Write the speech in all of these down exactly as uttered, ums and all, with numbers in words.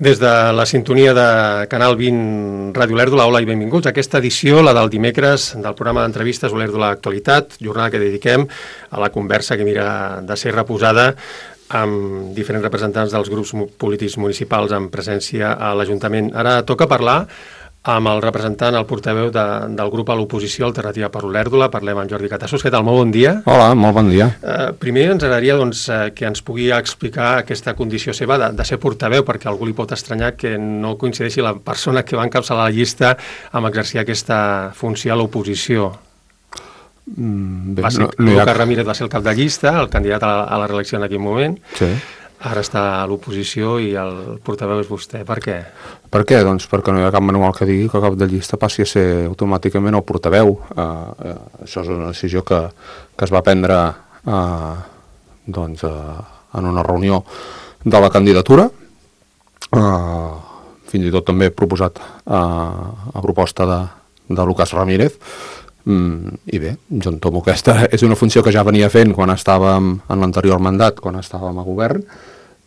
Des de la sintonia de Canal vint Ràdio Olèrdola, hola i benvinguts a aquesta edició, la del dimecres, del programa d'entrevistes Olèrdola Actualitat, jornada que dediquem a la conversa que mira de ser reposada amb diferents representants dels grups polítics municipals en presència a l'Ajuntament. Ara toca parlar amb el representant, el portaveu de, del grup a l'oposició Alternativa per Olèrdola. Parlem amb Jordi Catassos. Què tal? Molt bon dia. Hola, molt bon dia. Eh, primer ens agradaria doncs, eh, que ens pugui explicar aquesta condició seva de, de ser portaveu, perquè algú li pot estranyar que no coincideixi la persona que va encapçalar la llista amb exercir aquesta funció a l'oposició. Mm, bé, va ser, no, no Lucas ha... Ramírez va ser el cap de llista, el candidat a la, a la reelecció en aquell moment. Sí. Ara està a l'oposició i el portaveu és vostè. Per què? Per què? Doncs perquè no hi ha cap manual que digui que el cap de llista passi a ser automàticament el portaveu. Uh, uh, això és una decisió que, que es va prendre uh, doncs, uh, en una reunió de la candidatura. Uh, fins i tot també proposat uh, a proposta de, de Lucas Ramírez. Mm, I bé, jo entomo aquesta és una funció que ja venia fent quan estàvem en l'anterior mandat, quan estàvem a govern,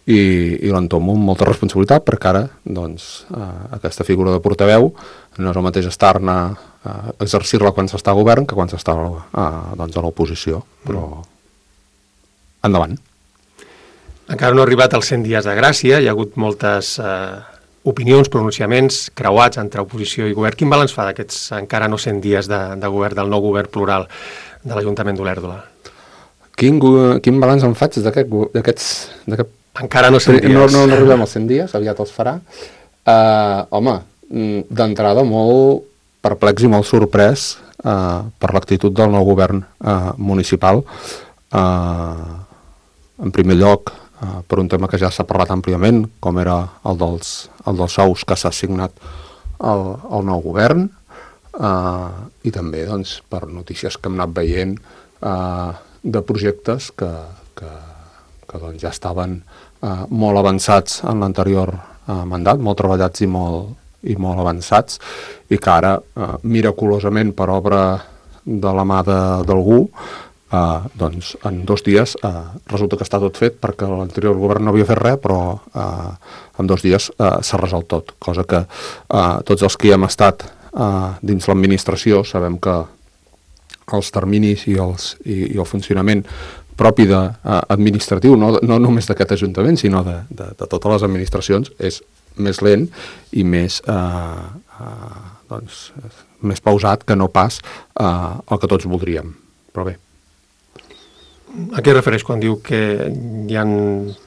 i, i l'entomo amb molta responsabilitat, perquè ara doncs, eh, aquesta figura de portaveu no és el mateix estar-ne eh, exercir-la quan s'està a govern que quan s'està eh, doncs, a l'oposició, però endavant. Encara no ha arribat als cent dies de gràcia, hi ha hagut moltes eh, opinions, pronunciaments creuats entre oposició i govern. Quin balanç fa d'aquests encara no cent dies de, de govern, del nou govern plural de l'Ajuntament d'Olèrdola? Quin, quin balanç en faig d'aquests... Encara no cent dies. No, no, no arribem als cent dies, aviat els farà. Uh, home, d'entrada molt perplex i molt sorprès uh, per l'actitud del nou govern uh, municipal. Uh, en primer lloc, uh, per un tema que ja s'ha parlat àmpliament, com era el dels, el dels sous que s'ha assignat al, al nou govern, uh, i també doncs, per notícies que hem anat veient uh, de projectes que, que, que doncs, ja estaven uh, molt avançats en l'anterior uh, mandat, molt treballats i molt, i molt avançats, i que ara, uh, miraculosament per obra de la mà d'algú, uh, doncs en dos dies uh, resulta que està tot fet, perquè l'anterior govern no havia fet res, però uh, en dos dies uh, s'ha resolt tot, cosa que uh, tots els que hi hem estat uh, dins l'administració sabem que els terminis i, els, i, i el funcionament propi de, uh, administratiu, no, no només d'aquest Ajuntament, sinó de, de, de totes les administracions, és més lent i més, uh, uh, doncs, més pausat que no pas uh, el que tots voldríem. Però bé. A què refereix quan diu que hi ha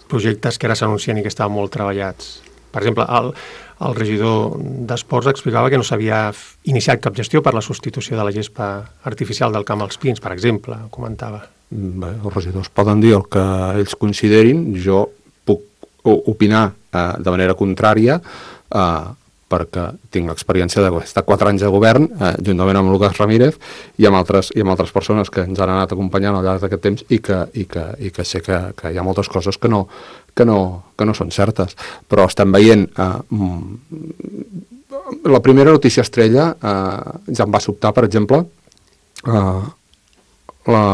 projectes que ara s'anuncien i que estaven molt treballats? Per exemple, el, el regidor d'Esports explicava que no s'havia iniciat cap gestió per la substitució de la gespa artificial del Camp als Pins, per exemple, comentava. Bé, els regidors poden dir el que ells considerin, jo puc opinar eh, de manera contrària eh, perquè tinc l'experiència d'estar quatre anys de govern, eh, juntament amb Lucas Ramírez i amb, altres, i amb altres persones que ens han anat acompanyant al llarg d'aquest temps i que, i que, i que sé que, que hi ha moltes coses que no, que no, que no són certes. Però estem veient... Eh, la primera notícia estrella eh, ja em va sobtar, per exemple, eh, la...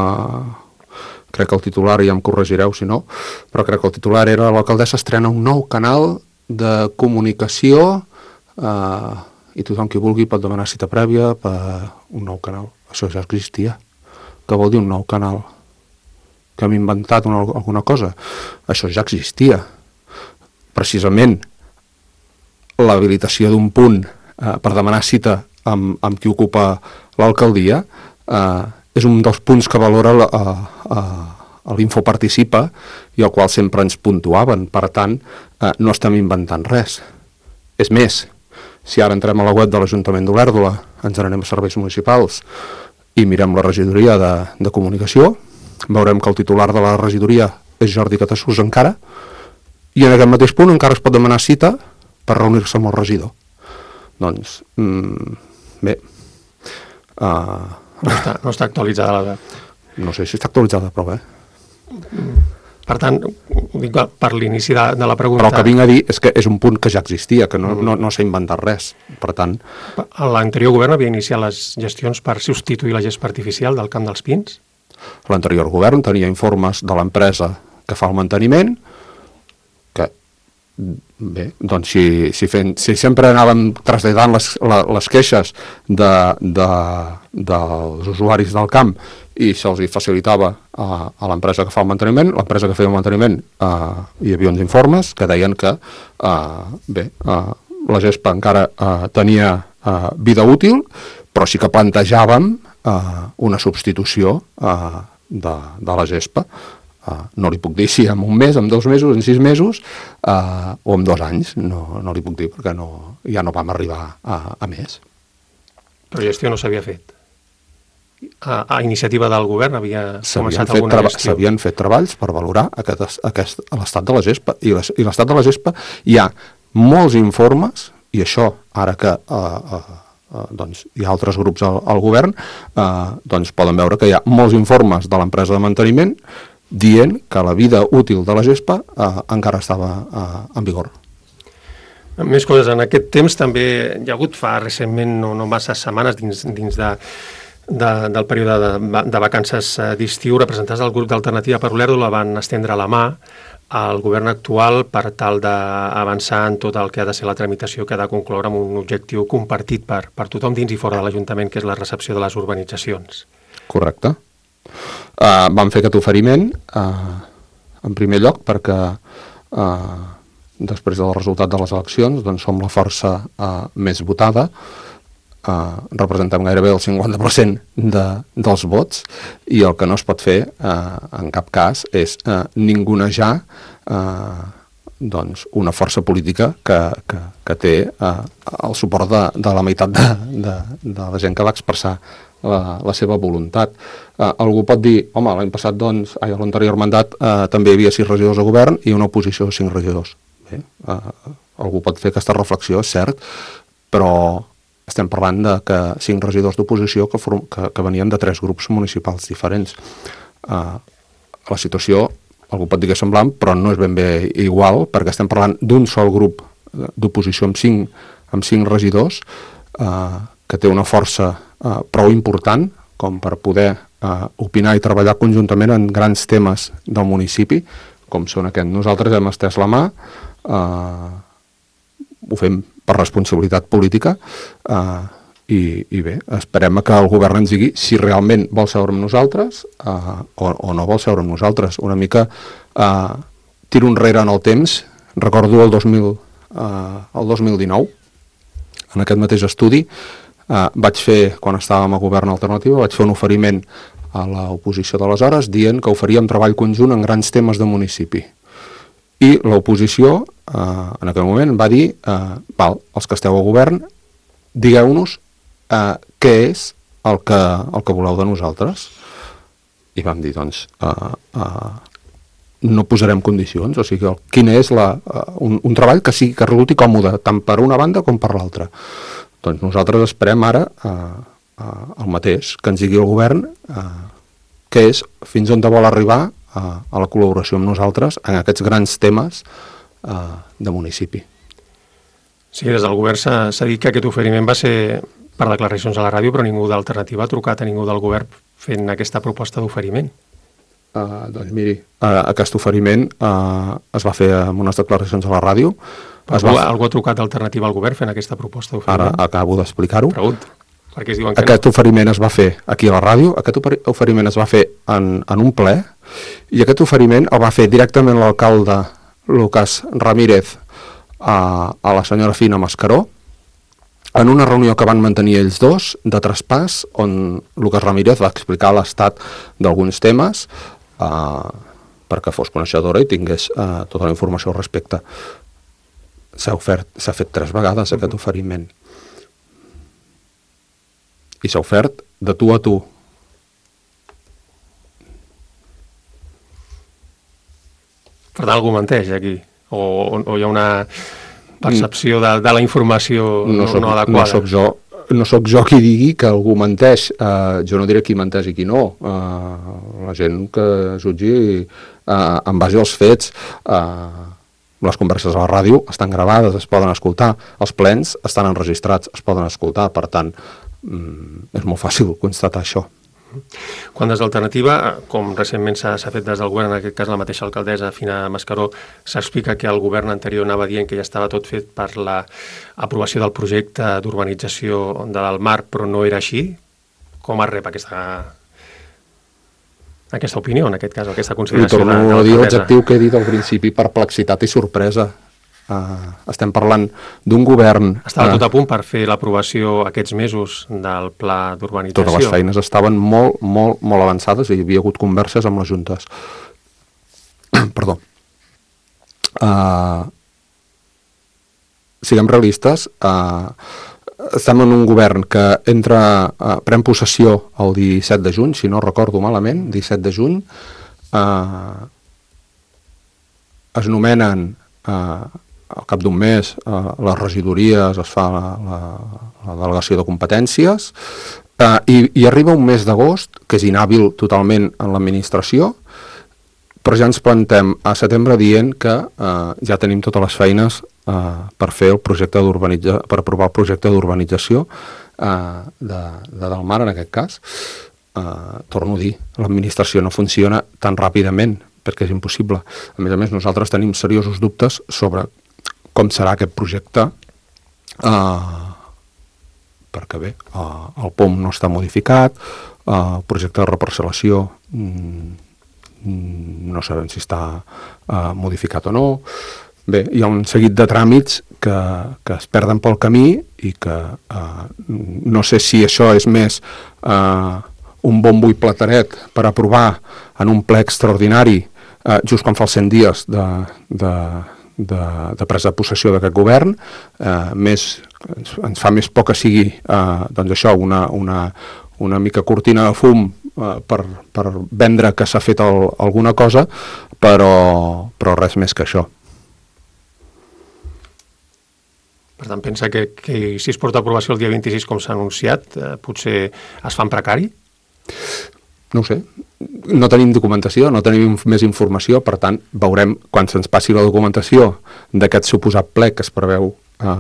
crec que el titular, ja em corregireu si no, però crec que el titular era l'alcaldessa estrena un nou canal de comunicació uh, i tothom qui vulgui pot demanar cita prèvia per un nou canal. Això ja existia. Què vol dir un nou canal? Que hem inventat una, alguna cosa? Això ja existia. Precisament l'habilitació d'un punt uh, per demanar cita amb, amb qui ocupa l'alcaldia uh, és un dels punts que valora la, a, a, a l'Info Participa i al qual sempre ens puntuaven. Per tant, eh, no estem inventant res. És més, si ara entrem a la web de l'Ajuntament d'Olèrdola, ens n'anem a serveis municipals i mirem la regidoria de, de comunicació, veurem que el titular de la regidoria és Jordi Catassos encara, i en aquest mateix punt encara es pot demanar cita per reunir-se amb el regidor. Doncs, mm, bé... Uh, No està, no està actualitzada la web. No sé si està actualitzada, però bé. Per tant, ho dic per l'inici de, de la pregunta... Però el que vinc a dir és que és un punt que ja existia, que no, no, no s'ha inventat res. Per tant... L'anterior govern havia iniciat les gestions per substituir la gespa artificial del Camp dels Pins? L'anterior govern tenia informes de l'empresa que fa el manteniment, que bé, doncs si, si, fent, si sempre anàvem traslladant les, les queixes de, de, dels usuaris del camp i se'ls facilitava a, a l'empresa que fa el manteniment, l'empresa que feia el manteniment eh, hi havia uns informes que deien que eh, bé, eh, la gespa encara eh, tenia eh, vida útil, però sí que plantejàvem eh, una substitució eh, de, de la gespa. Uh, no li puc dir si en un mes, en dos mesos, en sis mesos uh, o en dos anys, no, no li puc dir perquè no, ja no vam arribar a, a més. Però gestió no s'havia fet? A, a iniciativa del govern havia començat alguna traba- gestió? S'havien fet treballs per valorar aquest, aquest, l'estat de la gespa, i, les, i l'estat de la gespa hi ha molts informes, i això ara que uh, uh, uh, doncs, hi ha altres grups al, al govern, uh, doncs poden veure que hi ha molts informes de l'empresa de manteniment dient que la vida útil de la gespa eh, encara estava eh, en vigor. Més coses. En aquest temps també hi ha hagut fa recentment, no, no massa setmanes, dins, dins de, de, del període de, de vacances d'estiu, representats del grup d'Alternativa per Olèrdola van estendre la mà al govern actual per tal d'avançar en tot el que ha de ser la tramitació que ha de concloure amb un objectiu compartit per, per tothom dins i fora de l'Ajuntament, que és la recepció de les urbanitzacions. Correcte. Uh, vam fer aquest oferiment uh, en primer lloc perquè uh, després del resultat de les eleccions doncs som la força uh, més votada, uh, representem gairebé el cinquanta per cent de, dels vots, i el que no es pot fer uh, en cap cas és uh, ningunejar uh, doncs una força política que, que, que té uh, el suport de, de la meitat de, de, de la gent que va expressar La, la seva voluntat. Uh, algú pot dir, home, l'any passat, doncs, ai, a l'anterior mandat uh, també hi havia sis regidors de govern i una oposició de cinc regidors. Bé, uh, algú pot fer aquesta reflexió, és cert, però estem parlant de que cinc regidors d'oposició que, que, que venien de tres grups municipals diferents. Uh, la situació, algú pot dir que és semblant, però no és ben bé igual, perquè estem parlant d'un sol grup d'oposició amb cinc, amb cinc regidors, uh, que té una força uh, prou important com per poder uh, opinar i treballar conjuntament en grans temes del municipi, com són aquests. Nosaltres hem estès la mà, uh, ho fem per responsabilitat política, uh, i, i bé, esperem que el govern ens digui si realment vol seure amb nosaltres uh, o, o no vol seure amb nosaltres. Una mica uh, tiro enrere en el temps, recordo el dos mil, uh, el dos mil dinou, en aquest mateix estudi, Uh, vaig fer, quan estàvem a govern alternatiu, vaig fer un oferiment a l'oposició d'aleshores dient que oferíem treball conjunt en grans temes de municipi. I l'oposició, uh, en aquell moment, va dir uh, val, els que esteu a govern, digueu-nos uh, què és el que, el que voleu de nosaltres. I vam dir, doncs, uh, uh, no posarem condicions, o sigui, quin és la, uh, un, un treball que sigui que resulti còmode, tant per una banda com per l'altra. Doncs nosaltres esperem ara eh, eh, el mateix, que ens digui el govern eh, què és, fins on vol arribar eh, a la col·laboració amb nosaltres en aquests grans temes eh, de municipi. Sí, des del govern s'ha dit que aquest oferiment va ser per declaracions a la ràdio, però ningú d'Alternativa ha trucat a ningú del govern fent aquesta proposta d'oferiment. Uh, doncs miri, uh, aquest oferiment uh, es va fer amb unes declaracions a la ràdio. Algú, va... algú ha trucat d'Alternativa al govern fent aquesta proposta d'oferiment? Ara acabo d'explicar-ho. Pregunta, perquè es diuen que aquest no. oferiment es va fer aquí a la ràdio, aquest oferiment es va fer en, en un ple, i aquest oferiment el va fer directament l'alcalde Lucas Ramírez a, a la senyora Fina Mascaró, en una reunió que van mantenir ells dos de traspàs, on Lucas Ramírez va explicar l'estat d'alguns temes eh, perquè fos coneixedora i tingués eh, tota la informació al respecte. S'ha ofert, s'ha fet tres vegades aquest uh-huh. oferiment. I s'ha ofert de tu a tu. Per tant, algú menteix aquí? O, o, o hi ha una percepció de, de la informació no, soc, no adequada? No soc jo, no soc jo qui digui que algú menteix. Uh, jo no diré qui menteix i qui no. Uh, la gent que jutgi uh, en base als fets... Uh, les converses a la ràdio estan gravades, es poden escoltar, els plens estan enregistrats, es poden escoltar, per tant, mm, és molt fàcil constatar això. Quan des d'Alternativa, com recentment s'ha fet des del govern, en aquest cas la mateixa alcaldessa Fina Mascaró, s'explica que el govern anterior anava dient que ja estava tot fet per l'aprovació del projecte d'urbanització de Dalmar, però no era així, com es rep aquesta, aquesta opinió, en aquest cas, aquesta consideració de, de l'alcaldessa? Torno a dir l'adjectiu que he dit al principi, perplexitat i sorpresa. Uh, estem parlant d'un govern... Estava uh, tot a punt per fer l'aprovació aquests mesos del pla d'urbanització. Totes les feines estaven molt, molt, molt avançades i hi havia hagut converses amb les juntes. Perdó. Uh, siguem realistes. Uh, estem en un govern que entra, uh, pren possessió el disset de juny, si no recordo malament, disset de juny. Uh, es nomenen... Uh, al cap d'un mes eh, les regidories, es fa la, la, la delegació de competències eh, i, i arriba un mes d'agost que és inhàbil totalment en l'administració, però ja ens plantem a setembre dient que eh, ja tenim totes les feines eh, per fer el projecte d'urbanització, per aprovar el projecte d'urbanització eh, de, de Dalmar en aquest cas. Eh, torno a dir, l'administració no funciona tan ràpidament perquè és impossible. A més a més, nosaltres tenim seriosos dubtes sobre com serà aquest projecte, eh, perquè bé, eh, el P O M no està modificat, eh, el projecte de reparcel·lació mm, no sabem si està eh, modificat o no. Bé, hi ha un seguit de tràmits que, que es perden pel camí i que eh, no sé si això és més eh, un bombo i plateret per aprovar en un ple extraordinari eh, just quan fa els cent dies de... de De, de presa de possessió d'aquest govern, eh, més, ens, ens fa més por que sigui eh, doncs això, una, una, una mica cortina de fum eh, per, per vendre que s'ha fet el, alguna cosa, però, però res més que això. Per tant, pensa que, que si es porta a aprovació el dia vint-i-sis, com s'ha anunciat, eh, potser es fa en precari? No ho sé. No tenim documentació, no tenim més informació, per tant, veurem, quan se'ns passi la documentació d'aquest suposat ple que es preveu eh,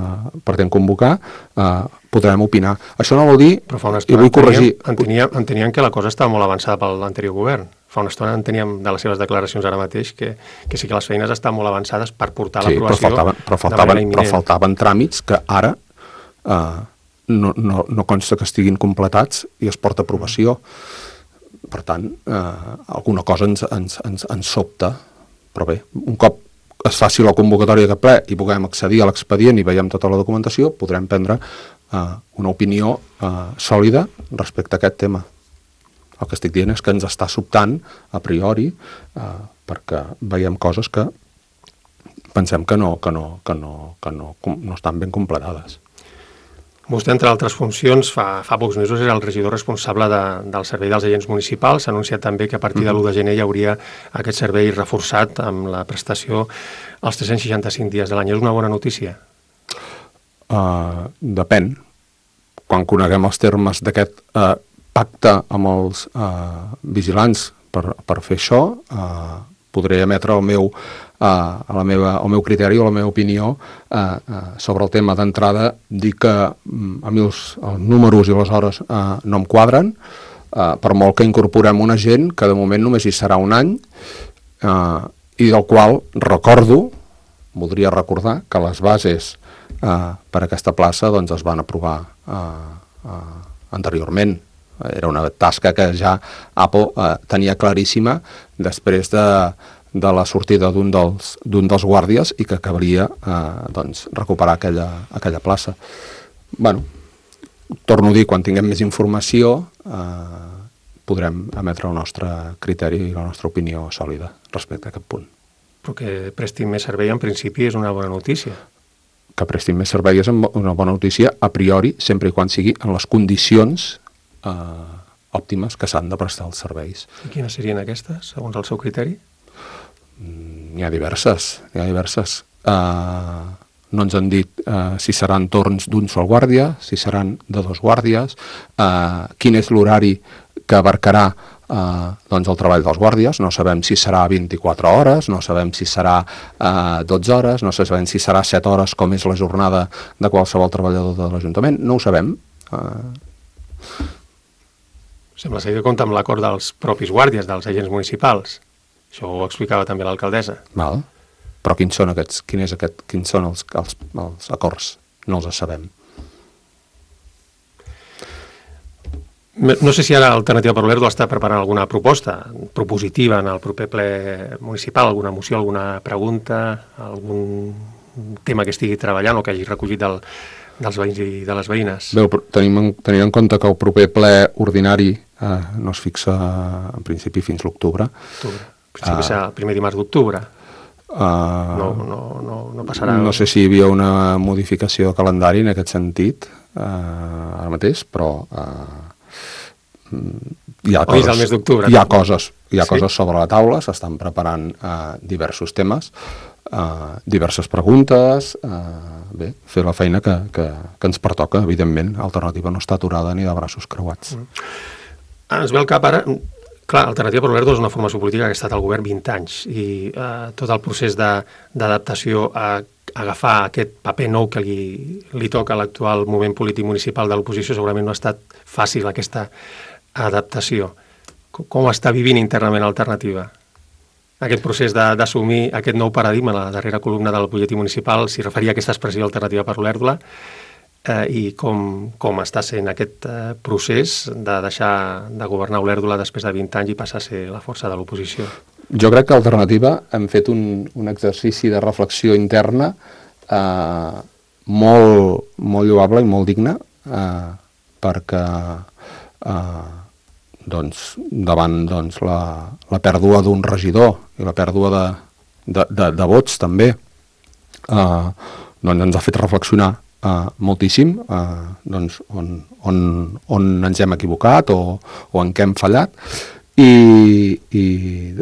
pretén convocar, eh, podrem opinar. Això no vol dir, però fa una i vull corregir... Enteníem, enteníem que la cosa estava molt avançada per l'anterior govern. Fa una estona enteníem de les seves declaracions ara mateix que, que sí que les feines estan molt avançades per portar sí, l'aprovació però faltaven, però faltaven, però faltaven tràmits que ara eh, no, no, no consta que estiguin completats i es porta a aprovació. Per tant, eh, alguna cosa ens, ens, ens, ens sobta, però bé, un cop es faci la convocatòria de ple i puguem accedir a l'expedient i veiem tota la documentació, podrem prendre eh, una opinió eh, sòlida respecte a aquest tema. El que estic dient és que ens està sobtant a priori eh, perquè veiem coses que pensem que no, que no, que no, que no, no estan ben completades. Vostè, entre altres funcions, fa, fa pocs mesos era el regidor responsable de, del servei dels agents municipals. S'ha anunciat també que a partir de l'u de gener hi hauria aquest servei reforçat amb la prestació als tres-cents seixanta-cinc dies de l'any. És una bona notícia? Uh, depèn. Quan coneguem els termes d'aquest uh, pacte amb els uh, vigilants per, per fer això, uh, podré emetre el meu, uh, la meva, el meu criteri o la meva opinió uh, uh, sobre el tema d'entrada. Dir que um, a mi els, els números i les hores uh, no em quadren, uh, per molt que incorporem una gent que de moment només hi serà un any uh, i del qual recordo, voldria recordar que les bases uh, per a aquesta plaça doncs, es van aprovar uh, uh, anteriorment. Era una tasca que ja Apple eh, tenia claríssima després de, de la sortida d'un dels, d'un dels guàrdies i que acabaria eh, doncs, recuperar aquella, aquella plaça. Bueno, torno a dir, quan tinguem més informació eh, podrem emetre el nostre criteri i la nostra opinió sòlida respecte a aquest punt. Però que prestin més servei en principi és una bona notícia. Que prestin més servei és una bona notícia a priori, sempre i quan sigui en les condicions Uh, òptimes que s'han de prestar els serveis. I quines serien aquestes, segons el seu criteri? Mm, n'hi ha diverses, n'hi ha diverses. Uh, no ens han dit uh, si seran torns d'un sol guàrdia, si seran de dos guàrdies, uh, quin és l'horari que abarcarà uh, doncs el treball dels guàrdies. No sabem si serà vint-i-quatre hores, no sabem si serà uh, dotze hores, no sabem si serà set hores, com és la jornada de qualsevol treballador de l'Ajuntament. No ho sabem. Uh, Sembla ser que compta amb l'acord dels propis guàrdies, dels agents municipals. Això ho explicava també l'alcaldessa. Val. Però quins són aquests, quin és aquest, quins són els, els, els acords? No els sabem. No sé si ara Alternativa per l'Olèrdola està preparant alguna proposta propositiva en el proper ple municipal, alguna moció, alguna pregunta, algun tema que estigui treballant o que hagi recollit del, dels veïns i de les veïnes. Bé, tenim en, tenim en compte que el proper ple ordinari eh, no es fixa en principi fins l'octubre. En principi uh, serà el primer dimarts d'octubre. Uh, no, no, no, no passarà... No sé si hi havia una modificació de calendari en aquest sentit uh, ara mateix, però... Uh, hi ha, coses, el mes d'octubre, hi ha coses, hi ha sí? coses sobre la taula, s'estan preparant uh, diversos temes, uh, diverses preguntes, uh, bé, fer la feina que, que, que ens pertoca, evidentment. Alternativa no està aturada ni de braços creuats. Mm. Ens ve al cap ara, clar, Alternativa per l'Olèrdola és una formació política que ha estat al govern vint anys i uh, tot el procés d'adaptació a agafar aquest paper nou que li, li toca a l'actual moment polític municipal de l'oposició segurament no ha estat fàcil aquesta adaptació. Com està vivint internament Alternativa? Aquest procés d'assumir aquest nou paradigma, la darrera columna del butlletí municipal s'hi referia a aquesta expressió Alternativa per l'Olèrdola eh, i com, com està sent aquest eh, procés de deixar de governar Olèrdola després de vint anys i passar a ser la força de l'oposició. Jo crec que Alternativa hem fet un, un exercici de reflexió interna eh, molt, molt lloable i molt digne eh, perquè eh, doncs, davant doncs, la, la pèrdua d'un regidor i la pèrdua de, de, de, de vots també eh, doncs ens ha fet reflexionar eh, moltíssim eh, doncs, on, on, on ens hem equivocat o, o en què hem fallat i, i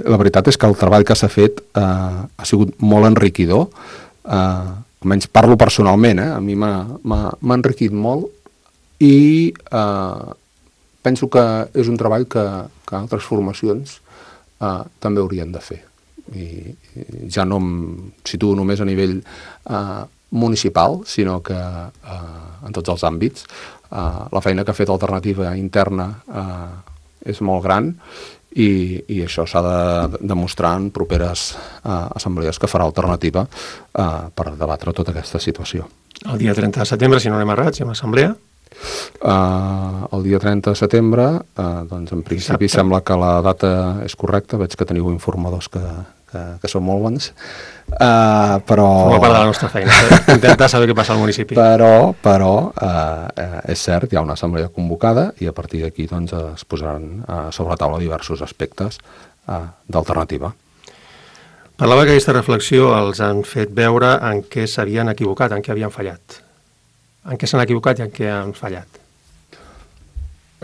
la veritat és que el treball que s'ha fet eh, ha sigut molt enriquidor, eh, almenys parlo personalment, eh, a mi m'ha enriquit molt i eh, penso que és un treball que, que altres formacions eh, també haurien de fer. I, i ja no em situo només a nivell eh, municipal, sinó que eh, en tots els àmbits. Eh, la feina que ha fet Alternativa interna eh, és molt gran i, i això s'ha de demostrar en properes eh, assemblees que farà Alternativa eh, per debatre tota aquesta situació. El dia trenta de setembre, si no anem errats, hi ha una assemblea. Uh, el dia trenta de setembre, uh, doncs en principi Exacte. Sembla que la data és correcta, veig que teniu informadors que, que, que són molt bons, uh, però... Forma part de la nostra feina, intentar saber què passa al municipi. Però, però uh, és cert, hi ha una assemblea convocada i a partir d'aquí doncs, es posaran uh, sobre la taula diversos aspectes uh, d'Alternativa. Parlava que aquesta reflexió els han fet veure en què s'havien equivocat, en què havien fallat. En què s'han equivocat i en què han fallat?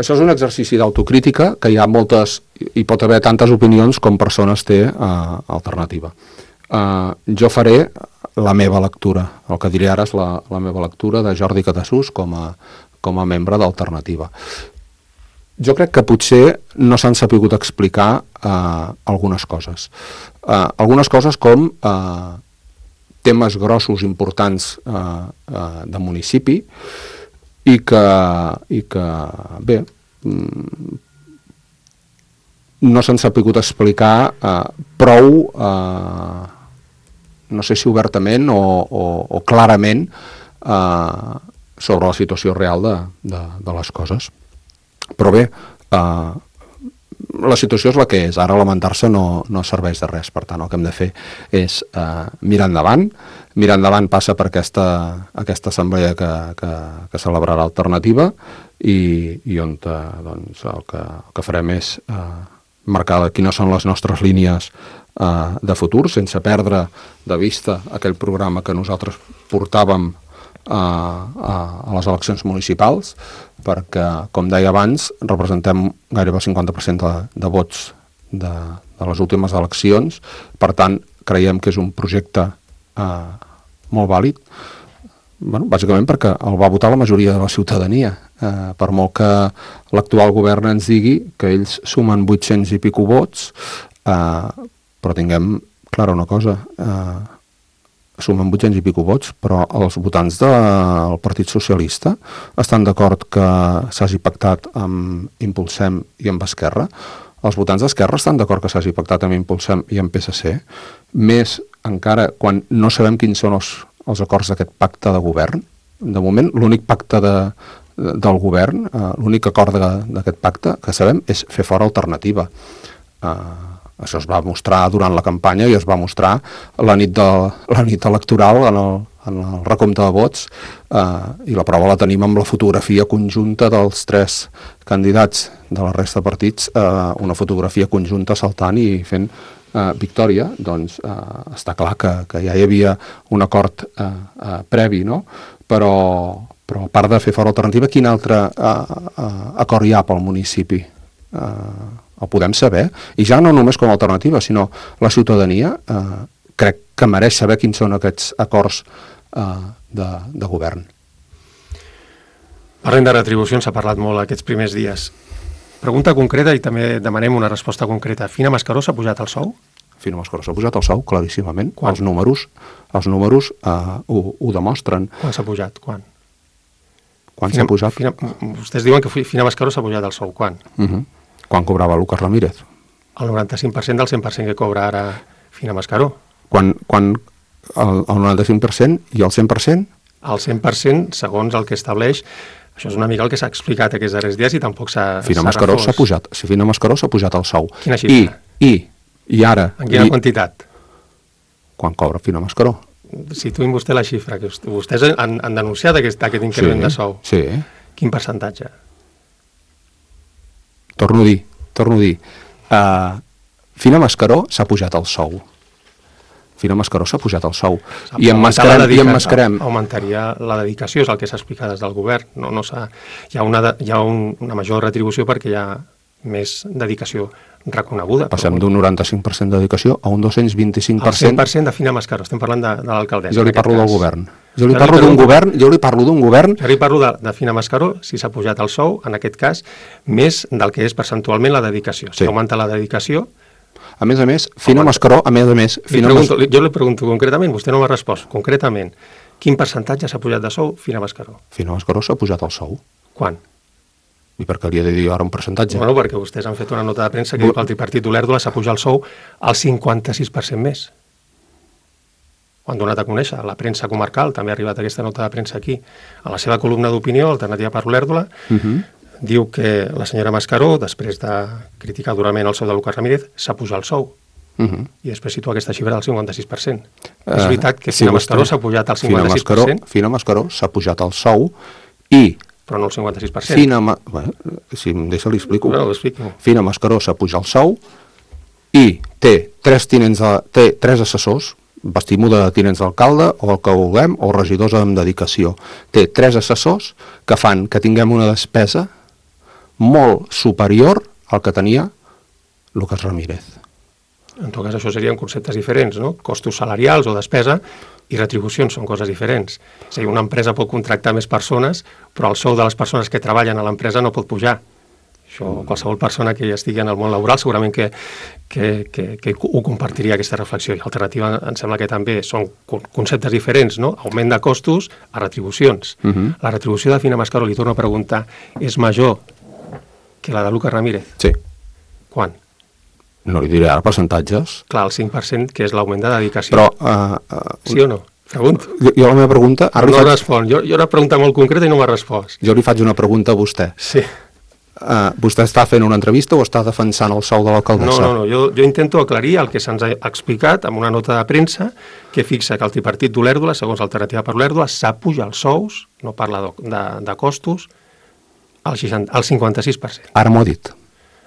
Això és un exercici d'autocrítica que hi ha moltes, hi pot haver tantes opinions com persones té uh, Alternativa. Uh, jo faré la meva lectura, el que diré ara és la, la meva lectura de Jordi Catassús com a, com a membre d'Alternativa. Jo crec que potser no s'han sapigut explicar uh, algunes coses. Uh, algunes coses com... Uh, temes grossos, importants eh, eh, de municipi i que, i que bé, no s'han sapigut explicar eh, prou, eh, no sé si obertament o, o, o clarament, eh, sobre la situació real de, de, de les coses. Però bé, eh, la situació és la que és, ara lamentar-se no, no serveix de res, per tant el que hem de fer és eh, mirar endavant, mirar endavant passa per aquesta, aquesta assemblea que, que, que celebrarà Alternativa i, i on eh, doncs, el, que, el que farem és eh, marcar quines són les nostres línies eh, de futur, sense perdre de vista aquell programa que nosaltres portàvem a, a, a les eleccions municipals, perquè, com deia abans, representem gairebé el cinquanta per cent de, de vots de, de les últimes eleccions, per tant, creiem que és un projecte eh, molt vàlid, bueno, bàsicament perquè el va votar la majoria de la ciutadania, eh, per molt que l'actual govern ens digui que ells sumen vuit-cents i pico vots, eh, però tinguem clara una cosa, eh, sumen vuit-cents i pico vots, però els votants del Partit Socialista estan d'acord que s'hagi pactat amb Impulsem i amb Esquerra. Els votants d'Esquerra estan d'acord que s'hagi pactat amb Impulsem i amb P S C, més encara quan no sabem quins són els, els acords d'aquest pacte de govern. De moment, l'únic pacte de, del govern, eh, l'únic acord d'aquest pacte que sabem és fer fora Alternativa. Eh, Això es va mostrar durant la campanya i es va mostrar la nit, de, la nit electoral en el, en el recompte de vots eh, i la prova la tenim amb la fotografia conjunta dels tres candidats de la resta de partits, eh, una fotografia conjunta saltant i fent eh, victòria. Doncs eh, està clar que, que ja hi havia un acord eh, eh, previ, no? Però, però a part de fer fora Alternativa, quin altre eh, eh, acord hi ha pel municipi? Eh, el podem saber, i ja no només com a alternativa, sinó la ciutadania eh, crec que mereix saber quins són aquests acords eh, de, de govern. Parlem de retribucions, s'ha parlat molt aquests primers dies. Pregunta concreta i també demanem una resposta concreta. Fina Mascaró s'ha pujat el sou? Fina Mascaró s'ha pujat el sou, claríssimament. Quan? Els números, els números eh, ho, ho demostren. Quan s'ha pujat? Quan? Quan s'ha pujat? Fina, vostès diuen que Fina Mascaró s'ha pujat el sou. Quan? Uh -huh. Quan cobrava Lucas Ramírez? El noranta-cinc per cent del cent per cent que cobra ara Fina Mascaró. Quan, quan el, el noranta-cinc per cent i el cent per cent? El cent per cent, segons el que estableix, això és una mica el que s'ha explicat aquests darrers dies i tampoc s'ha Fina Mascaró s'ha pujat, si Fina Mascaró s'ha pujat el sou. Quina xifra? I, i, i ara... En quina i, quantitat? Quan cobra Fina Mascaró? Situïn vostè la xifra, que vostès han, han denunciat aquest, aquest increment sí, de sou. Sí. Quin percentatge? Torno a dir, torno a dir. Uh, Fina Mascaró s'ha pujat el sou. Fina Mascaró s'ha pujat el sou. I emmascarem, i emmascarem. Augmentaria la dedicació, és el que s'ha explicat des del govern. No, no s'ha, hi ha, una, hi ha un, una major retribució perquè hi ha més dedicació reconeguda. Passem d'un noranta-cinc per cent de dedicació a un dos-cents vint-i-cinc per cent. El cent per cent de Fina Mascaró, estem parlant de, de l'alcaldessa. Jo li parlo cas. del govern. Jo li jo parlo d'un govern, jo li parlo d'un govern... Jo li parlo de, de Fina Mascaró, si s'ha pujat el sou, en aquest cas, més del que és percentualment la dedicació. Si sí. augmenta la dedicació... A més a més, Fina Mascaró, a més a més... Li pregunto, Mas... Jo li pregunto concretament, vostè no m'ha respost, concretament, quin percentatge s'ha pujat de sou Fina Mascaró? Fina Mascaró s'ha pujat el sou. Quan? I per què li he de dir ara un percentatge? Bueno, perquè vostès han fet una nota de premsa que diu que el tripartit d'Olèrdola s'ha pujat el sou al cinquanta-sis per cent més. Ho han donat a conèixer, la premsa comarcal, també ha arribat aquesta nota de premsa aquí. A la seva columna d'opinió, Alternativa per Olèrdola, uh -huh. diu que la senyora Mascaró, després de criticar durament el sou de Lucas Ramírez, s'ha pujat el sou. Uh -huh. I després situa aquesta xifra del cinquanta-sis per cent. Uh, és veritat que Fina sí, Mascaró s'ha pujat al cinquanta-sis per cent. Fina Mascaró s'ha pujat el sou i... Però no el cinquanta-sis per cent. Fina, Ma... bueno, si em deixa li explico. No, explico. Fina Mascaró s'ha pujat el sou i té tres, tinents de... té tres assessors, vestim-ho de tinents d'alcalde o el que vulguem, o regidors amb dedicació. Té tres assessors que fan que tinguem una despesa molt superior al que tenia Lucas Ramírez. En tot cas, això serien conceptes diferents, no? Costos salarials o despesa i retribucions són coses diferents. És a dir, una empresa pot contractar més persones, però el sou de les persones que treballen a l'empresa no pot pujar. Això, qualsevol persona que ja estigui en el món laboral segurament que, que, que, que ho compartiria, aquesta reflexió. I l'alternativa em sembla que també són conceptes diferents, no? Augment de costos a retribucions. Uh -huh. La retribució de Fina Mascaró, li torno a preguntar, és major que la de Lucas Ramírez? Sí. Quan? No li diré ara percentatges. Clar, el cinc per cent, que és l'augment de dedicació. Però... Uh, uh, sí o no? Pregunto. Jo, jo la meva pregunta... Ara no faig... respon. Jo, jo una pregunta molt concreta i no m'ha respost. Jo li faig una pregunta a vostè. Sí. Uh, vostè està fent una entrevista o està defensant el sou de l'alcaldessa? No, no, no. Jo, jo intento aclarir el que se'ns ha explicat amb una nota de premsa que fixa que el tripartit d'Olèrdola, segons l'Alternativa per Olèrdola, s'ha pujat els sous, no parla de, de, de costos, al, al cinquanta-sis per cent. Ara m'ho ha dit.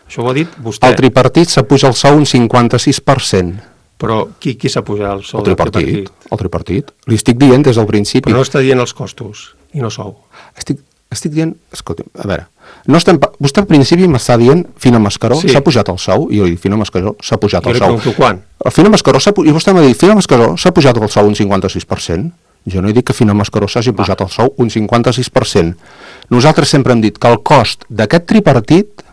Això ho ha dit vostè. El tripartit s'ha pujat el sou un cinquanta-sis per cent. Però qui, qui s'ha pujat el sou el tripartit, del tripartit? El tripartit. Li estic dient des del principi. Però no està dient els costos i no sou. Estic, estic dient... Escolti, a veure, no estem, vostè al principi m'està dient Fina Mascaró s'ha sí. pujat el sou, i jo li dic Fina Mascaró s'ha pujat jo el sou. Jo li pregunto quan. Fina Mascaró s'ha i vostè m'ha dit Fina Mascaró s'ha pujat el sou un cinquanta-sis per cent. Jo no he dit que Fina Mascaró s'hagi pujat el sou un cinquanta-sis per cent. Nosaltres sempre hem dit que el cost d'aquest tripartit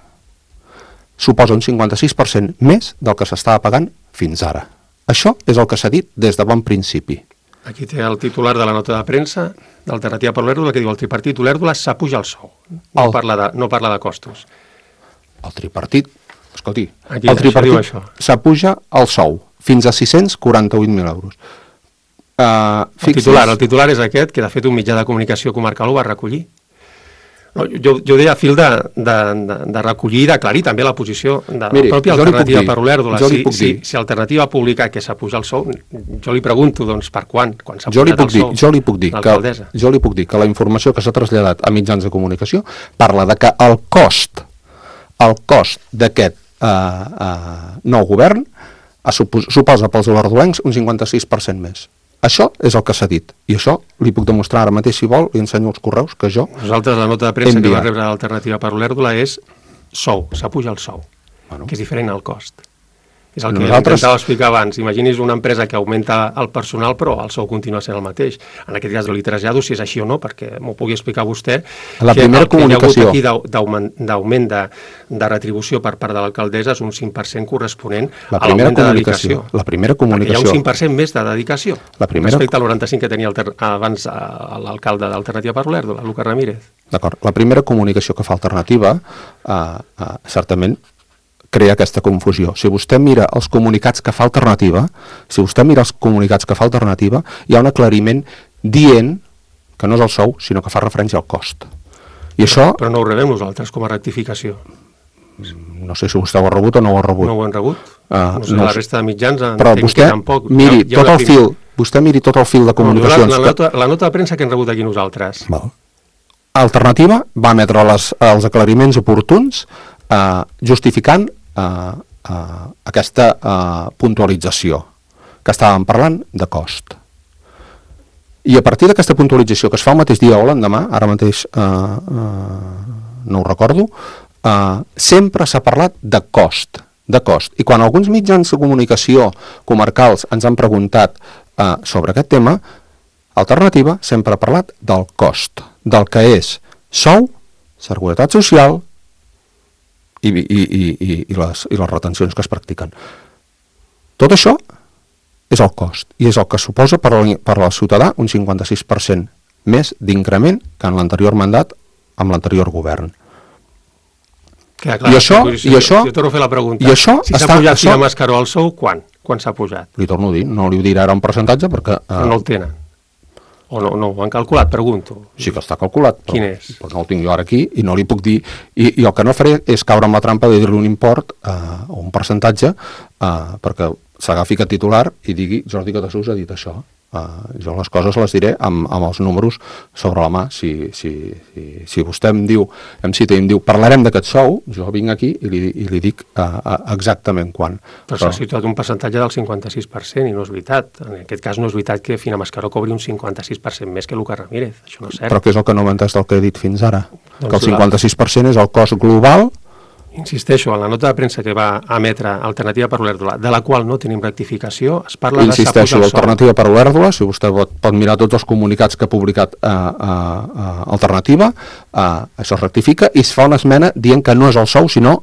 suposa un cinquanta-sis per cent més del que s'estava pagant fins ara. Això és el que s'ha dit des de bon principi. Aquí té el titular de la nota de premsa d'Alternativa per Olèrdola que diu el tripartit Olèrdola s'apuja el sou. No, el... parla de, no parla de costos. El tripartit, escolti, aquí, el tripartit s'apuja el sou fins a sis-cents quaranta-vuit mil euros. Uh, el, titular, el titular és aquest, que de fet un mitjà de comunicació comarcal ho va recollir. No, jo, jo deia a fil de, de, de, de recollir i d'aclarir també la posició de Miri, la pròpia Alternativa per Olèrdola. Si, si, si Alternativa ha publicat que s'apuja el sou, jo li pregunto, doncs, per quan? Quan s'ha pujat el sou? Jo li puc dir que, jo li puc dir que la informació que s'ha traslladat a mitjans de comunicació parla de que el cost, el cost d'aquest uh, uh, nou govern suposa pels olerdolencs un cinquanta-sis per cent més. Això és el que s'ha dit, i això li puc demostrar ara mateix, si vol, li ensenyo els correus que jo Nosaltres la nota de premsa que va rebre l'Alternativa per Olèrdola és sou, s'apuja el sou, bueno. que és diferent al cost. És el que Nosaltres... intentava explicar abans. Imagini's una empresa que augmenta el personal, però el sou continua sent el mateix. En aquest cas, jo li trasllado si és així o no, perquè m'ho pugui explicar vostè. La que primera el que comunicació... hi ha hagut aquí d'augment de, de retribució per part de l'alcaldessa és un cinc per cent corresponent la a l'augment de dedicació. La primera comunicació... Perquè hi ha un cinc per cent més de dedicació la primera... respecte al noranta-cinc que tenia alter... abans l'alcalde d'Alternativa per Olèrdola, Lucas Ramírez. D'acord. La primera comunicació que fa Alternativa, eh, eh, certament, crea aquesta confusió. Si vostè mira els comunicats que fa Alternativa, si vostè mira els comunicats que fa Alternativa, hi ha un aclariment dient que no és el sou, sinó que fa referència al cost. I però, això... Però no ho rebem nosaltres com a rectificació. No sé si vostè ho ha rebut o no ho ha rebut. No ho han rebut? Uh, no sé, no la resta de mitjans però vostè tampoc. miri ja, ja tot el prim... fil, vostè miri tot el fil de comunicacions. No, la, la, nota, la nota de premsa que hem rebut aquí nosaltres. Val. Alternativa va emetre les, els aclariments oportuns eh, justificant eh, Uh, aquesta uh, puntualització que estàvem parlant de cost. I a partir d'aquesta puntualització que es fa el mateix dia o l'endemà, ara mateix uh, uh, no ho recordo, uh, sempre s'ha parlat de cost, de cost. I quan alguns mitjans de comunicació comarcals ens han preguntat uh, sobre aquest tema, Alternativa sempre ha parlat del cost, del que és sou, seguretat social, I, i, i, i, i, les, i les retencions que es practiquen. Tot això és el cost, i és el que suposa per, la, per al ciutadà un cinquanta-sis per cent més d'increment que en l'anterior mandat amb l'anterior govern. Clar, clar, I això... Si, i això, si torno a fer la pregunta, i això si s'ha pujat això, Fina Mascaró al sou, quan? Quan s'ha pujat? Li torno a dir, no li ho diré ara un percentatge perquè... Uh, no el tenen. O no, no, ho han calculat, pregunto. Sí que està calculat, però, Quin és? però no el tinc jo ara aquí i no li puc dir, i, i el que no faré és caure amb la trampa de dir-li un import eh, o un percentatge eh, perquè s'agafi aquest titular i digui Jordi Catasús ha dit això. Eh, jo les coses les diré amb, amb els números sobre la mà. Si, si, si, si vostè em diu, em cita i em diu parlarem d'aquest sou, jo vinc aquí i li, i li dic eh, exactament quan. Però, però s'ha situat un percentatge del cinquanta-sis per cent i no és veritat. En aquest cas no és veritat que Fina Mascaró cobri un cinquanta-sis per cent més que Lucas Ramírez. Això no és cert. Però què és el que no m'ha entès del que he dit fins ara? Doncs que el cinquanta-sis per cent és el cost global. Insisteixo, en la nota de premsa que va emetre Alternativa per Olèrdola, de la qual no tenim rectificació, es parla de s'ha Insisteixo, l'Alternativa per Olèrdola, si vostè pot, pot mirar tots els comunicats que ha publicat eh, eh, Alternativa, eh, això es rectifica i es fa una esmena dient que no és el sou, sinó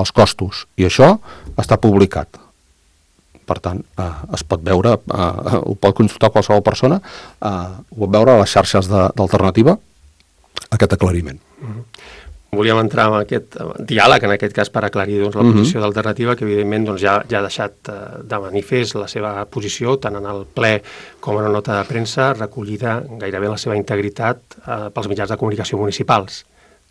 els costos. I això està publicat. Per tant, eh, es pot veure, eh, ho pot consultar qualsevol persona, eh, ho pot veure a les xarxes d'Alternativa, aquest aclariment. Mm-hmm. Volíem entrar en aquest diàleg, en aquest cas per aclarir doncs, la posició uh-huh. d'Alternativa, que evidentment doncs, ja, ja ha deixat eh, de manifest la seva posició, tant en el ple com en una nota de premsa, recollida gairebé en la seva integritat eh, pels mitjans de comunicació municipals,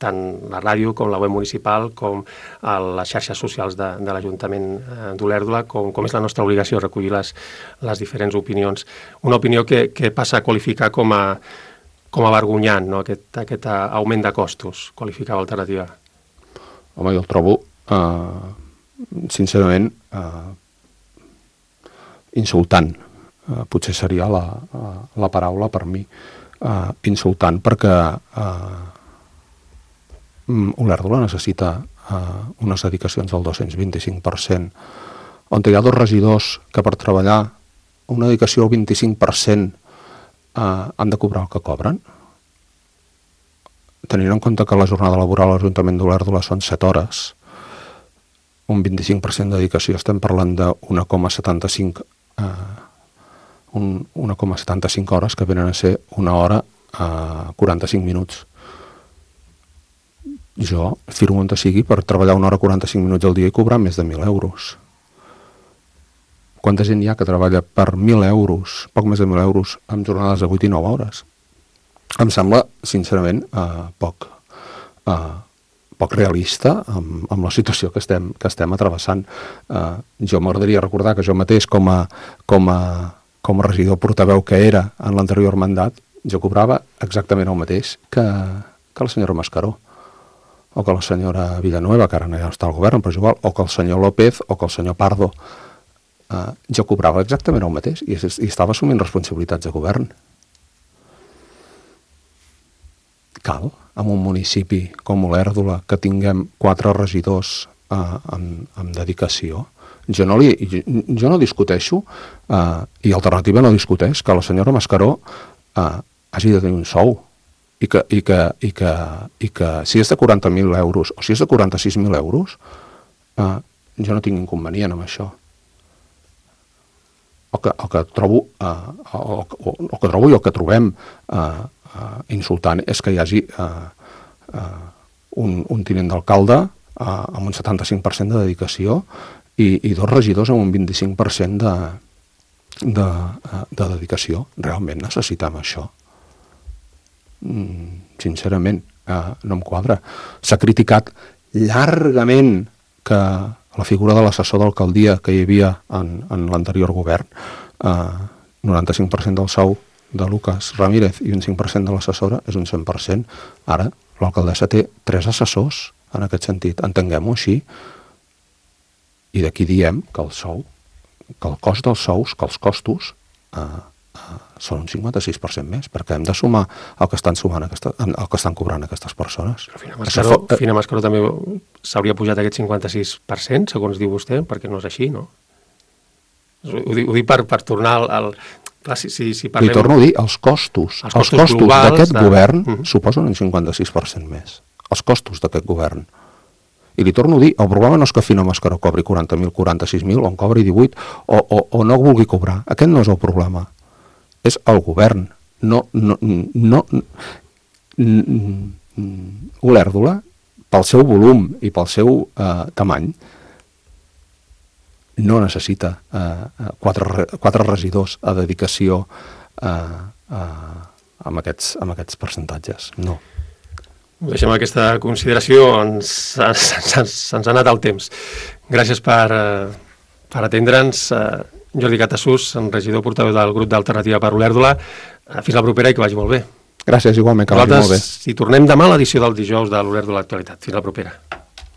tant la ràdio com la web municipal, com a les xarxes socials de, de l'Ajuntament eh, d'Olèrdola, com, com és la nostra obligació recollir les, les diferents opinions. Una opinió que, que passa a qualificar com a com a vergonyant, no? aquest, aquest augment de costos, qualificava Alternativa. Home, jo el trobo, eh, sincerament, eh, insultant. Eh, potser seria la, la paraula per mi. Eh, insultant, perquè eh, Olèrdola necessita eh, unes dedicacions del dos-cents vint-i-cinc per cent, on hi ha dos regidors que per treballar una dedicació al vint-i-cinc per cent Uh, han de cobrar el que cobren, tenint en compte que la jornada laboral a l'Ajuntament d'Olèrdola són set hores, un vint-i-cinc per cent de dedicació, estem parlant de un coma setanta-cinc uh, un, una coma setanta-cinc hores, que venen a ser una hora a quaranta-cinc minuts. Jo firmo on sigui per treballar una hora quaranta-cinc minuts al dia i cobrar més de mil euros. Quanta gent hi ha que treballa per mil euros, poc més de mil euros, amb jornades de vuit i nou hores? Em sembla, sincerament, eh, poc, eh, poc realista amb, amb la situació que estem, que estem atrevessant. Eh, jo m'agradaria recordar que jo mateix, com a, com a, com a regidor portaveu que era en l'anterior mandat, jo cobrava exactament el mateix que, que la senyora Mascaró, o que la senyora Villanueva, que ara no ja està al govern, però és igual, o que el senyor López, o que el senyor Pardo. Uh, jo cobrava exactament el mateix i, i estava assumint responsabilitats de govern. Cal, en un municipi com Olèrdola, que tinguem quatre regidors uh, amb, amb dedicació. Jo no, li, jo, jo no discuteixo, uh, i Alternativa no discuteix, que la senyora Mascaró uh, hagi de tenir un sou, i que, i que, i que, i que si és de quaranta mil euros o si és de quaranta-sis mil euros, uh, jo no tinc inconvenient amb això. El que, el que trobo, uh, o, o, el que trobo i el que trobem uh, uh, insultant és que hi hagi uh, uh, un, un tinent d'alcalde uh, amb un setanta-cinc per cent de dedicació i, i dos regidors amb un vint-i-cinc per cent de, de, uh, de dedicació. Realment necessitem això? Mm, sincerament, uh, no em quadra. S'ha criticat llargament que la figura de l'assessor d'alcaldia que hi havia en, en l'anterior govern, eh, noranta-cinc per cent del sou de Lucas Ramírez i un cinc per cent de l'assessora és un cent per cent. Ara, l'alcaldessa té tres assessors en aquest sentit, entenguem-ho així, i d'aquí diem que el sou, que el cost dels sous, que els costos, eh, eh, són un cinquanta-sis per cent més, perquè hem de sumar el que estan sumant aquesta, el que estan cobrant aquestes persones. Però Fina Mascaró, fa... Fina Mascaró també s'hauria pujat aquest cinquanta-sis per cent, segons diu vostè, perquè no és així, no? Ho, ho dic per, per tornar al... al... Clar, si, si, si parlem... Li torno a dir, els costos, els costos, els costos d'aquest de... govern uh-huh. suposen un cinquanta-sis per cent més. Els costos d'aquest govern. I li torno a dir, el problema no és que Fina Mascaró cobri quaranta mil, quaranta-sis mil, o en cobri divuit, o, o, o no vulgui cobrar. Aquest no és el problema. És el govern. No, no, no, Olèrdola, pel seu volum i pel seu eh, tamany, no necessita eh, quatre, quatre regidors a dedicació eh, eh, amb, aquests, amb aquests percentatges. No. Deixem aquesta consideració, ens, ens, ens, ens ha anat el temps. Gràcies per, per atendre'ns. Jordi Catasús, regidor portaveu del grup d'Alternativa per Olèrdola. Fins la propera i que vagi molt bé. Gràcies, igualment, que vagi molt bé. Si tornem demà a l'edició del dijous de l'Olèrdola Actualitat. Fins la propera.